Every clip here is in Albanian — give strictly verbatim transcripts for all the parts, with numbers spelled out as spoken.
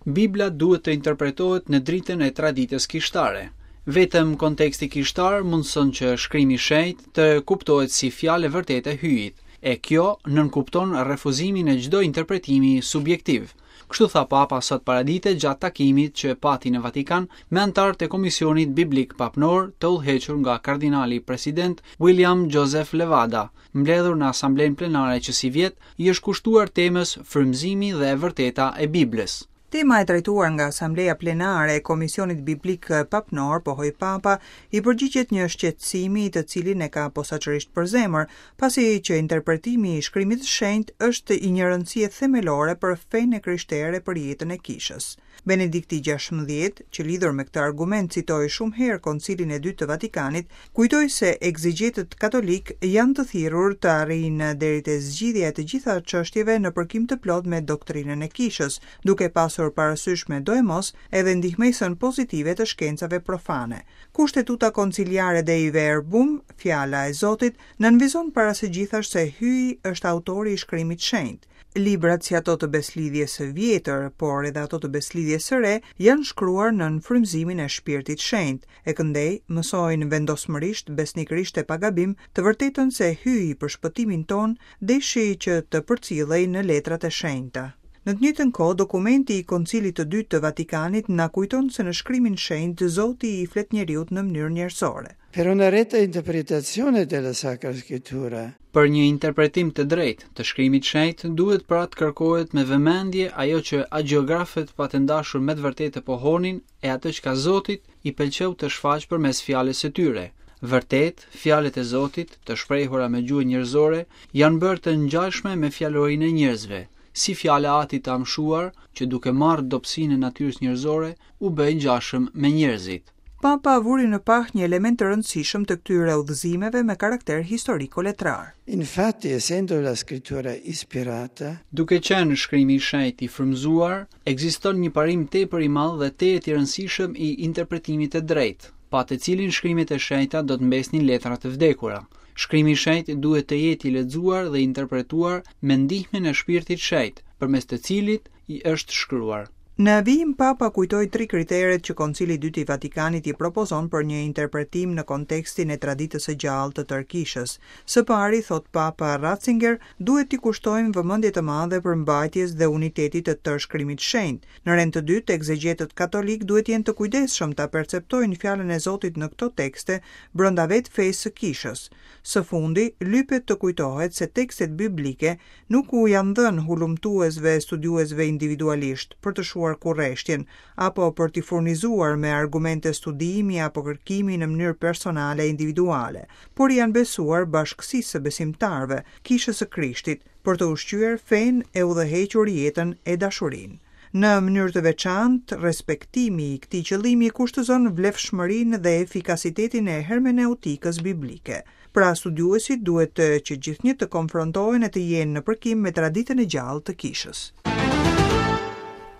Bibla duhet të interpretohet në dritën e traditës kishtare. Vetëm konteksti kishtar mundëson që shkrimi i shenjtë të kuptohet si fjalë e vërtetë e Hyjit, e kjo nënkupton refuzimin e çdo interpretimi subjektiv. Kështu tha Papa sot paradite gjatë takimit që pati në Vatikan me anëtarët e Komisionit Biblik Papnor të udhëhequr nga kardinali president William Joseph Levada, mbledhur në asamblenë plenare që sivjet i është kushtuar temës frymëzimi dhe e vërteta e Biblës. Tema e trajtuar nga Asambleja Plenare e Komisionit Biblik Papnor, pohoi Papa, i përgjigjet një shqetësimi të cilin e ka posaçërisht për zemër, pasi që interpretimi i shkrimit të shenjtë është i një rëndësie themelore për fenë e krishterë e për jetën e kishës. Benedikti gjashtëmbëdhjetë, që lidhur me këtë argument citoi shumë herë Koncilin e Dytë të Vatikanit, kujtoi se egzegjetët katolik janë të thirrur të arrijnë deri te zgjidhja e të gjitha çështjeve në përkim të plot me doktrinën e kishës, duke pasur parasysh me doemos edhe ndihmesën pozitive të shkencave profane. Kushtetuta konciliare Dei Verbum, fjala e Zotit, nënvizon para së gjithash se Hyji është autori i shkrimit shenjt. Librat si ato të Beslidhjes së vjetër, por edhe ato të Beslidhjes së re, janë shkruar nën frymëzimin e Shpirtit Shenjt, e këndej mësojnë vendosmërisht, besnikërisht e pa gabim, të vërtetën se Hyji për shpëtimin tonë deshi që të përcillej në letrat e shenjta. Në të njëjtën kohë, dokumenti i Koncilit të Dytë të Vatikanit na kujton se në shkrimin shenjt Zoti i flet njeriut në mënyrë njerëzore. Per una retta interpretazione della Sacra Scrittura. Për një interpretim të drejtë të shkrimit shenjt duhet pra të kërkohet me vëmendje ajo që agjeografët patën dashur me të vërtetë të pohonin e atë çka Zotit i pëlqeu të shfaq përmes fjalës së tyre. Vërtet, fjalët e Zotit, të shprehura me gjuhë njerëzore, janë bërë të ngjashme me fjalorin e njerëzve, si fjala e Atit të amshuar, që duke marrë dobësinë e natyrës njerëzore, u bë i ngjashëm me njerëzit. Papa vuri në pah një element të rëndësishëm të këtyre udhëzimeve me karakter historiko-letrar. Infatti, essendo la scrittura ispirata, duke qenë shkrimi i shenjtë i frymëzuar, ekziston një parim tepër i madh dhe tejet i rëndësishëm i interpretimit të drejtë, pa të cilin shkrimet e shenjta do të mbesnin letra të vdekura. Shkrimi i shenjtë duhet të jetë i lexuar dhe interpretuar me ndihmën e Shpirtit Shenjt, përmes të cilit i është shkruar. Në vijim Papa kujtoi tri kriteret që Koncili i Dytë i Vatikanit i propozon për një interpretim në kontekstin e traditës së gjallë të tërë kishës. Së pari, thot Papa Ratzinger, duhet t'i kushtojmë vëmendje të madhe përmbajtjes dhe unitetit të tërë shkrimit shenjt. Në rend të dytë, egzegjetët katolik duhet jenë të kujdesshëm ta perceptojnë fjalën e Zotit në këto tekste brenda vetë fesë së kishës. Së fundi, lypet të kujtohet se tekstet biblike nuk u janë dhënë hulumtuesve e studiuesve individualisht për të shuar kurreshtjen apo për t'i furnizuar me argumente studimi apo kërkimi në mënyrë personale e individuale, por i janë besuar bashkësisë së besimtarëve, kishës së Krishtit, për të ushqyer fenë e udhëhequr jetën e dashurinë. Në mënyrë të veçantë, respektimi i këtij qëllimi kushtëzon vlefshmërinë dhe efikasitetin e hermeneutikës biblike. Pra, studiuesit duhet që gjithnjë të konfrontohen e të jenë në përkim me traditën e gjallë të kishës.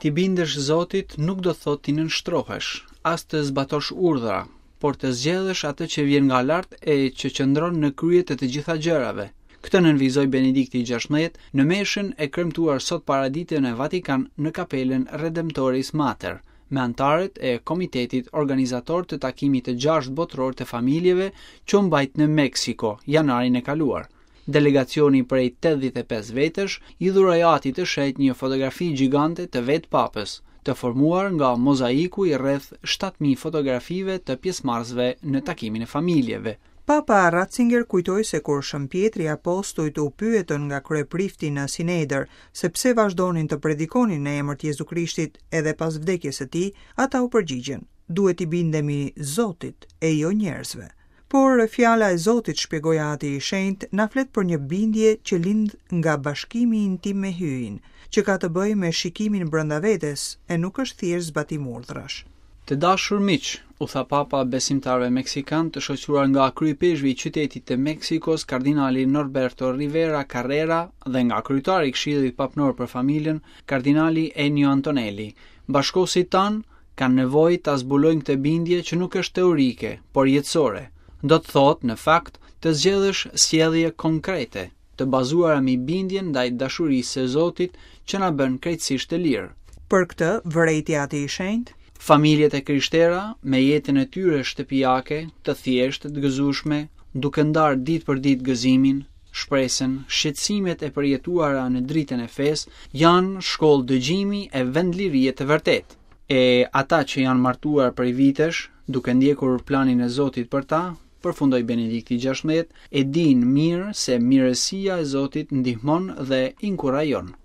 Ti bindesh Zotit nuk do thotë ti nënshtrohesh, as të zbatosh urdhra, por të zgjedhësh atë që vjen nga lart e që qëndron në krye të të gjitha gjërave. Këtë nënvizoi Benedikti i gjashtëmbëdhjetë në meshën e kremtuar sot paradite në Vatikan në kapelën Redemptoris Mater, me anëtarët e komitetit organizator të takimit të gjashtë botëror të familjeve që u mbajt në Meksiko janarin e kaluar. Delegacioni prej tetëdhjetë e pesë vetësh i dhuroi Atit të Shenjtë një fotografi gjigante të vetë papës, të formuar nga mozaiku i rreth shtatë mijë fotografive të pjesëmarrësve në takimin e familjeve. Papa Ratzinger kujtoi se kur Shën Pjetri apostujt u pyetën nga kryeprifti në Sinedër se pse vazhdonin të predikonin në emër të Jezu Krishtit edhe pas vdekjes së tij, ata u përgjigjën: duhet i bindemi Zotit e jo njerëzve. Por fjala e Zotit, shpjegoi Ati i Shenjtë, na flet për një bindje që lind nga bashkimi intim me Hyjin, që ka të bëjë me shikimin brenda vetes e nuk është thjesht zbatim urdhrash. Të dashur miq, u tha Papa besimtarëve meksikan të shoqëruar nga kryepeshvi i qytetit të Meksikos, kardinali Norberto Rivera Carrera dhe nga kryetari i Këshillit Papnor për Familjen, kardinali Ennio Antonelli. Bashkosit tan kanë nevojë ta zbulojnë këtë bindje që nuk është teorike, por jetësore. Do të thotë, në fakt, të zgjedhësh sjellje konkrete, të bazuara mbi bindjen ndaj dashurisë së Zotit që na bën krejtësisht të lirë. Për këtë, vërejti Ati i Shenjtë, Familjet e krishtera me jetën e tyre shtëpiake, të thjeshtë, të gëzueshme, duke ndarë ditë për ditë gëzimin, shpresën, shqetësimet e përjetuara në dritën e fesë, janë shkollë dëgjimi e vend lirie të vërtetë. E ata që janë martuar prej vitesh, duke ndjekur planin e Zotit për ta, përfundoi Benedikti gjashtëmbëdhjetë, e dinë mirë se mirësia e Zotit ndihmon dhe inkurajon.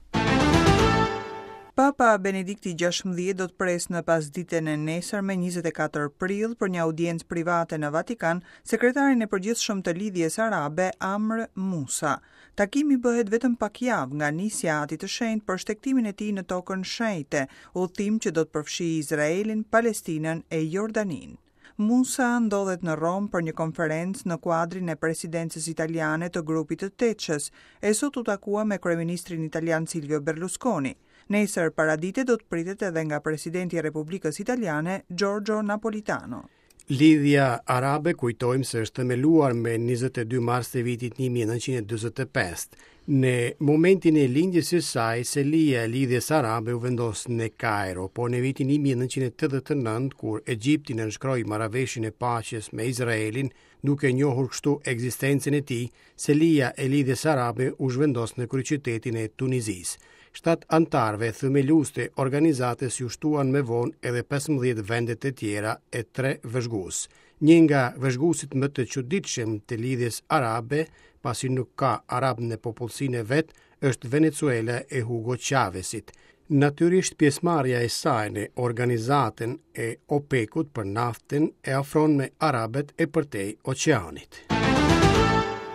Papa Benedikti gjashtëmbëdhjetë do të presë në pasditen e nesërme njëzet e katër prill për një audiencë private në Vatikan sekretarin e përgjithshëm të Lidhjes Arabe Amr Musa. Takimi bëhet vetëm pak javë nga nisja e Atit të Shenjtë për shtegtimin e tij në tokën shenjte, udhtim që do të përfshijë Izraelin, Palestinën e Jordaninë. Musa ndodhet në Romë për një konferencë në kuadrin e presidencës italiane të grupit të Tetshës, e sot u takua me kryeministrin italian Silvio Berlusconi. Nesër paradite do të pritet edhe nga presidenti i Republikës Italiane, Giorgio Napolitano. Lidhja Arabe kujtojmë se është themeluar me njëzet e dy mars të vitit një mijë e nëntëqind e dyzet e pesë. Në momentin e lindjes së saj, selia e Lidhjes Arabe u vendos në Kairo, por në vitin një mijë e nëntëqind e tetëdhjetë e nëntë, kur Egjipti nënshkroi marrëveshjen e paqes me Izraelin, duke njohur kështu ekzistencën e tij, selia e Lidhjes Arabe u zhvendos në kryeqytetin e Tunizisë. Shtat antarëve themelues të organizatës ju shtuan më vonë edhe pesëmbëdhjetë vende të tjera e tre vëzhgues. Një nga vëzhguesit më të çuditshëm të Lidhjes Arabe, pasi nuk ka arab në popullsinë e vet, është Venezuela e Hugo Chavezit. Natyrisht pjesëmarrja e saj në organizatën e OPEC-ut për naftën e afron me arabët e përtej oqeanit.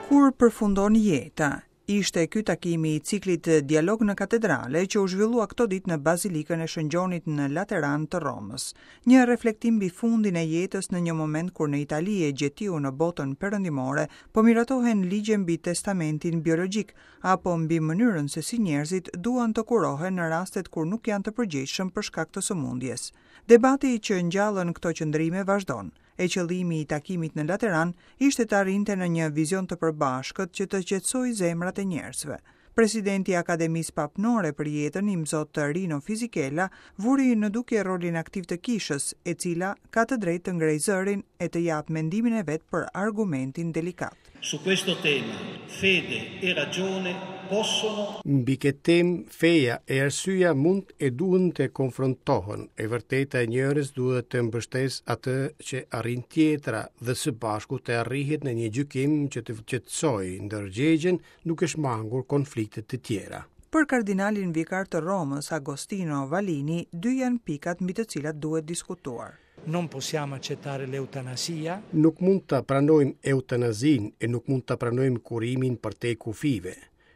Kur përfundon jeta? Ishte ky takimi i ciklit Dialog në Katedrale që u zhvillua këto ditë në Bazilikën e Shën Gjonit në Lateran të Romës. Një reflektim mbi fundin e jetës në një moment kur në Itali e gjetiu në botën perëndimore po miratohen ligje mbi testamentin biologjik apo mbi mënyrën se si njerëzit duan të kurohen në rastet kur nuk janë të përgjegjshëm për shkak të sëmundjes. Debati që ngjallën këto qëndrime vazhdon. E qëllimi i takimit në Lateran ishte të arrinte në një vizion të përbashkët që të qetësojë zemrat e njerëzve. Presidenti i Akademisë Papnore për Jetën, Imzot Rino Fisichella, vuri në dukje rolin aktiv të kishës, e cila ka të drejtë të ngrejë zërin e të japë mendimin e vet për argumentin delikat. Su questo tema, fede e ragione possono Mbi këtë temë, feja e arsyeja mund e duhen të konfrontohen. E vërteta e njërës duhet të mbështesë atë që arrin tjetra dhe së bashku të arrihet në një gjykim që të qetësojë ndërgjegjen duke shmangur konflikte të tjera. Për kardinalin vikar të Romës, Agostino Vallini, dy janë pikat mbi të cilat duhet diskutuar. Non possiamo accettare l'eutanasia. Nuk mund ta pranojmë eutanazin e nuk mund ta pranojmë kurimin përtej kufive.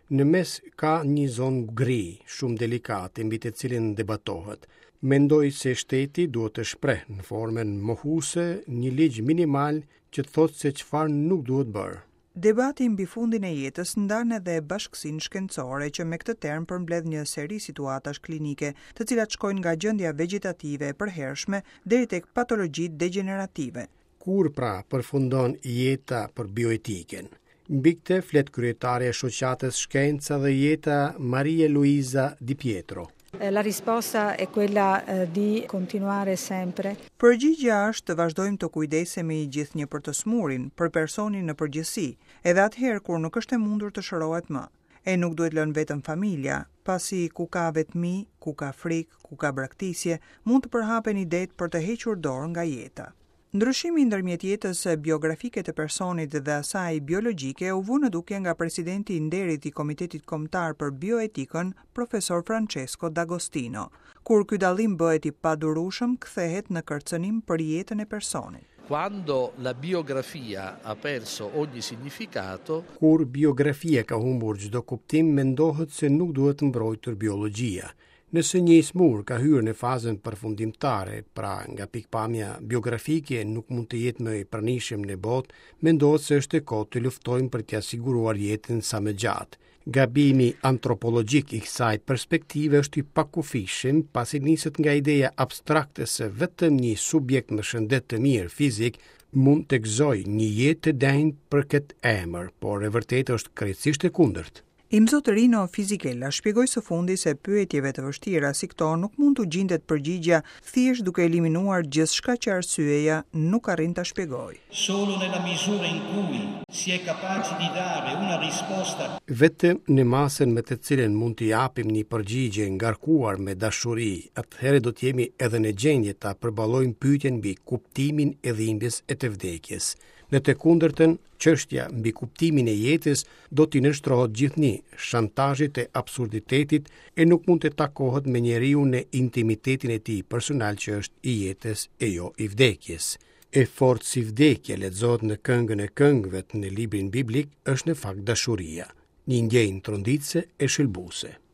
Në mes ka një zonë gri, shumë delikate, mbi të cilën debatohet. Mendoj se shteti duhet të shpreh në formën mohuese një ligj minimal që thotë se çfarë nuk duhet bërë. Debati mbi fundin e jetës ndan edhe bashkësinë shkencore që me këtë term përmbledh një seri situatash klinike, të cilat shkojnë nga gjendja vegjetative e përhershme deri tek patologjitë degenerative. Kur pra përfundon jeta për bioetikën? Mbi këtë flet kryetare e shoqatës Shkenca dhe Jeta Maria Luisa Di Pietro. Eh, la risposta è quella, eh, di continuare sempre. Përgjigjja është të vazhdojmë të kujdesemi gjithnjë për të smurin, për personin në përgjithësi, edhe atëherë kur nuk është e mundur të shërohet më. E nuk duhet lënë vetëm familja, pasi ku ka vetmi, ku ka frikë, ku ka braktisje, mund të përhapen idetë për të hequr dorë nga jeta. Ndryshimi ndërmjet jetës biografike të personit dhe asaj biologjike u vu në dukje nga presidenti i nderit i Komitetit Kombëtar për Bioetikën, profesor Francesco D'Agostino. Kur ky dallim bëhet i padurueshëm, kthehet në kërcënim për jetën e personit. Quando la biografia ha perso ogni significato, kur biografia ka humbur çdo kuptim, mendohet se nuk duhet mbrojtur biologjia. Nëse një i smur ka hyrë në fazën përfundimtare, pra nga pikpamja biografike nuk mund të jetë më i pranishëm në botë, mendohet se është e kohë të luftojmë për t'ia siguruar jetën sa më gjatë. Gabimi antropologjik i kësaj perspektive është i pakufishëm, pasi niset nga ideja abstrakte se vetëm një subjekt me shëndet të mirë fizik mund të gëzojë një jetë të denjë për këtë emër, por e vërtetë është krejtësisht e kundërt. Imzot Rino Fisichella shpjegoi së fundi se pyetjeve të vështira si këto nuk mund t'u gjindet përgjigja thjesht duke eliminuar gjithçka që arsyeja nuk arrin ta shpjegojë. Solo nella misura in cui si è capaci di dare una risposta Vetëm në masën me të cilën mund t'i japim një përgjigje ngarkuar me dashuri, atëherë do të jemi edhe në gjendje ta përballojmë pyetjen mbi kuptimin e dhimbjes e të vdekjes. Në të kundërtën, çështja mbi kuptimin e jetës do t'i nënshtrohet gjithnjë shantazhit të absurditetit e nuk mund të takohet me njeriun në intimitetin e tij personal që është i jetës e jo i vdekjes. E fortë si vdekja lexohet në Këngën e Këngëve në librin biblik është në fakt dashuria, një ndjenjë tronditëse e shëlbuese.